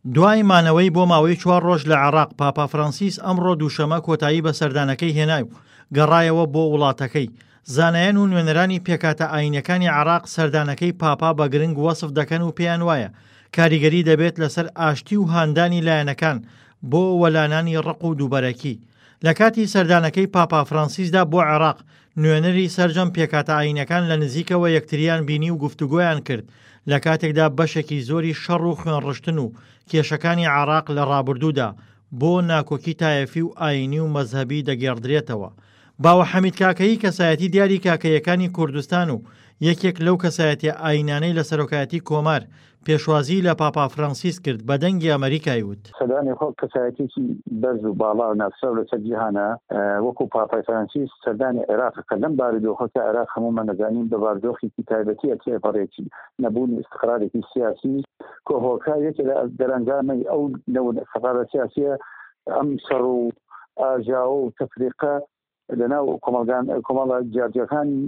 دوای مانەوەی بۆ ماوەی چوار ڕۆژ لە عێراق، پاپا فرانسیس ئەمڕۆ دووشەمە کۆتایی بە سەردانەکەی هێنا و گەڕایەوە بۆ وڵاتەکەی. زانایان و نوێنەرانی پێکهاتە ئایینیەکانی عێراق سەردانەکەی پاپا بە گرنگ وەسف دەکەن و پێیان وایە کاریگەری دەبێت لەسەر ئاشتی و هاندانی لایەنەکان بۆ وەلانانی ڕق و دووبەرەکی. لە کاتی سەردانەکەی پاپا فرانسیسدا بۆ عێراق، نوێنەری سەرجەم پێکهاتە ئایینەکان لە نزیکەوە یەکتریان بینی و گفتوگۆیان کرد، لە کاتێکدا بەشێکی زۆری شەڕ و خوێنڕشتن و کێشەکانی عێراق لە ڕابردوودا بۆ ناکۆکی تایەفی و ئایینی و مەزهەبی دەگێڕدرێتەوە. باوە حەمید کاکەیی کەسایەتی دیاری کاکەییەکانی کوردستان و یەکێک لەو کەسایەتیە ئایینانەی لە سەرۆکایەتی کۆمار پێشوازیی لە پاپا فرانسیس کرد بە دەنگی ئەمەریکای وت. سەردانی خۆ کەسایەتیەکی بەرز و باڵا و ناسراو لەسەر جیهانە وەکو پاپای فرانسیس سەردانی عێراق کە لەم بارودۆخە کە عێراق هەموومان دەزانین بە بارودۆخێکی تایبەتیە تێپەڕێت نەبوونی ئیستقرارێکی سیاسی کە هۆکار یەکێ لە دەرەنجامەی ئەو نەبوون ئیستقرارە سیاسیە ئەم شەڕ و ئاژاوە و تەفریقە لەناو کۆمەڵگان کۆمەڵە جیاجیاکانی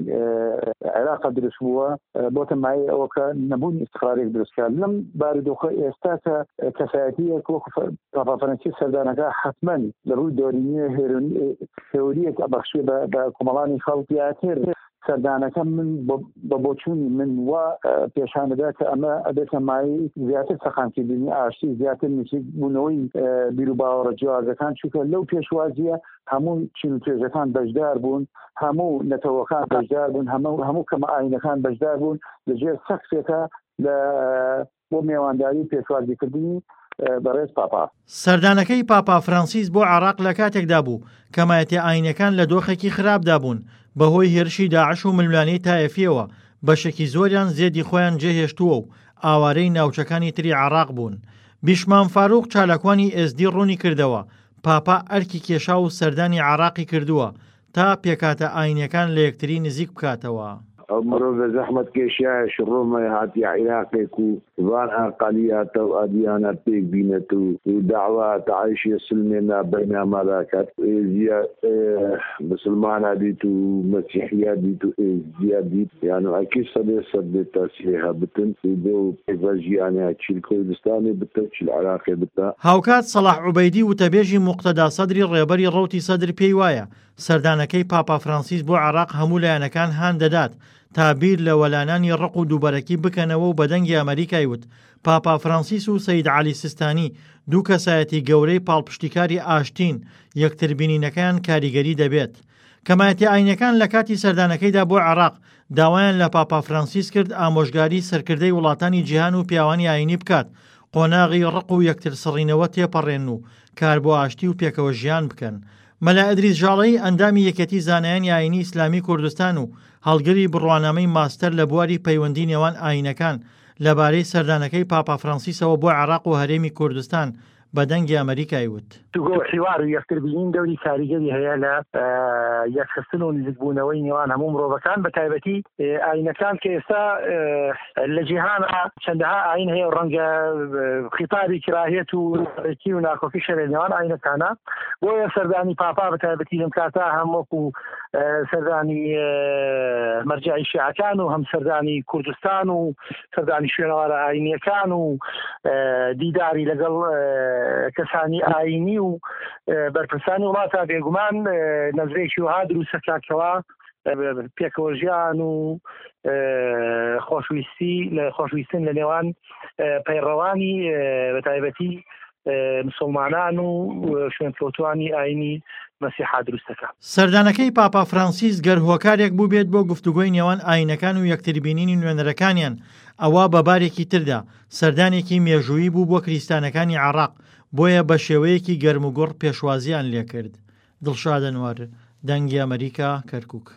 عێراق دروست بووە بۆتە مایەی ئەوە کە نەبوونی ئیستقرارێک دروستکە لەم بارودۆخە ئێستا کە کەسایەتیەک وەکو پاپا فەرەنسی سەردانەکە حتمما لە ڕووی دۆرینیە هێوریەک ئەبەخشێ بە کۆمەڵانی خەڵک زیاتر سەردانەکە من بە بۆچوونی من وا پێشانەدا کە ئەمە ئەبێتە مایەی زیاتر سەقامگیربوونی ئاشتی زیاتر نزیک بوونەوەی بیروباوەڕە جیاوازەکان چونکە لەو پێشوازیە هەموو چین و توێژەکان بەشدار بوون هەموو نەتەوەکان بەشدار بوون هەموو هەموو کەمە ئاینەکان بەشدار بوون لەژێر سەقفێکە لە بۆ مێوانداری و پێشوازیکردنی بەڕێز پاپا. سەردانەکەی پاپا فرانسیس بۆ عێراق لە کاتێکدا بوو کەمایەتیە ئاینیەکان لە دۆخێکی خراپدا بوون بەهۆی هێرشی داعش و ململانێی تایەفیەوە بەشێکی زۆریان زێدی خۆیان جێهێشتووە و ئاوارەی ناوچەکانی تری عێراق بوون. بیشمام فاروق چالاکوانی ئێزدی ڕوونیکردەوە، پاپا ئەرکی کێشا و سەردانی عێراقی کردووە تا پێکهاتە ئاینیەکان لە یەکتری نزیک بکاتەوە. ئەو مرۆڤە زەحمەتکێشایە شڕۆمەی هاتیە عیراقێ کو ڤان ئەقەلیاتە و ئەدیانە پێک بینێت و دەعوا تەعایشیە سلمێ نا بەینا مادا کات ئێزیە مسلمانا دیت و مەسیحیا دیت و ئێزدیا دیت یانو ئەکی سەدێ سەد بێ تاسیرێ هەبتن و بۆ پێکڤ ژیانێ چیل کوردستانێ بتە و چیل عراقێ بتە. هاوکات سەڵاح عوبەیدی وتەبێژی موقتەدا سەدری ڕێبەری ڕەوتی سەدر پێی وایە سەردانەکەی پاپا فرانسیس بۆ عێراق هەموو لایەنەکان هان دەدات تا بیر لە وەلانانی ڕق و دووبەرەکی بکەنەوە و بە دەنگی ئەمەریکای وت پاپا فرانسیس و سەید عەلی سیستانی دوو کەسایەتی گەورەی پاڵپشتیکاری ئاشتین، یەکتربینینەکەیان کاریگەری دەبێت. کەمایەتیە ئاینیەکان لە کاتی سەردانەکەیدا بۆ عێراق داوایان لە پاپا فرانسیس کرد ئامۆژگاری سەرکردەی وڵاتانی جیهان و پیاوانی ئاینی بکات قۆناغی ڕق و یەکترسڕینەوە تێپەڕێنن و کار بۆ ئاشتی و پێکەوە ژیان بکەن. مەلا ئیدریس ژاڵەیی ئەندامی یەکێتی زانایانی ئایینی ئیسلامی کوردستان و هەڵگری بڕوانامەی ماستەر لە بواری پەیوەندی نێوان ئایینەکان لەبارەی سەردانەکەی پاپا فرانسیسەوە بۆ عێراق و هەرێمی کوردستان بە دەنگی ئەمەریکای وت. گفتوگۆ و حیوار و یەکتربینین دەوری کاریگەری هەیە لە یەکخستن و نزیکبوونەوەی نێوان هەموو مرۆڤەکان بە تایبەتی ئاینەکان کە ئێستا لە جیهانا چەندەها ئاین هەیە و ڕەنگە خیتابی کراهیەت و ڕێکی و ناکۆکی شەرێ نێوان ئاینەکانە بۆیە سەردانی پاپا بە تایبەتی لەم کاتە هەم وەکو سەردانی مەرجعی شیعەکان و هەم سەردانی کوردستان و سەردانی شوێنەوارە ئاینیەکان و دیداری لەگەڵ کەسانی ئاینی و بەرپرسانی وڵاتە بێگومان نەزرێکی وها دروستەکاتەوە پێکەوە ژیان و خۆشویستی لە خۆشویستن لە نێوان پەیڕەوانی بە تایبەتی مسلمانان و شوێنکەوتوانی ئاینی مەسیحا دروستەکە. سەردانەکەی پاپا فرانسیس گەر هۆکارێک بووبێت بۆ گفتوگۆی نێوان ئاینەکان و یەکتربینینی نوێنەرەکانیان، ئەوا بە بارێکی تردا سەردانێکی مێژوویی بوو بۆ کریستانەکانی عێراق، بۆیە بەشێوەیەکی گەرموگوڕ پێشوازییان لێکرد. دڵشاد ئەنوەر، دەنگی ئەمەریکا، کەرکوک.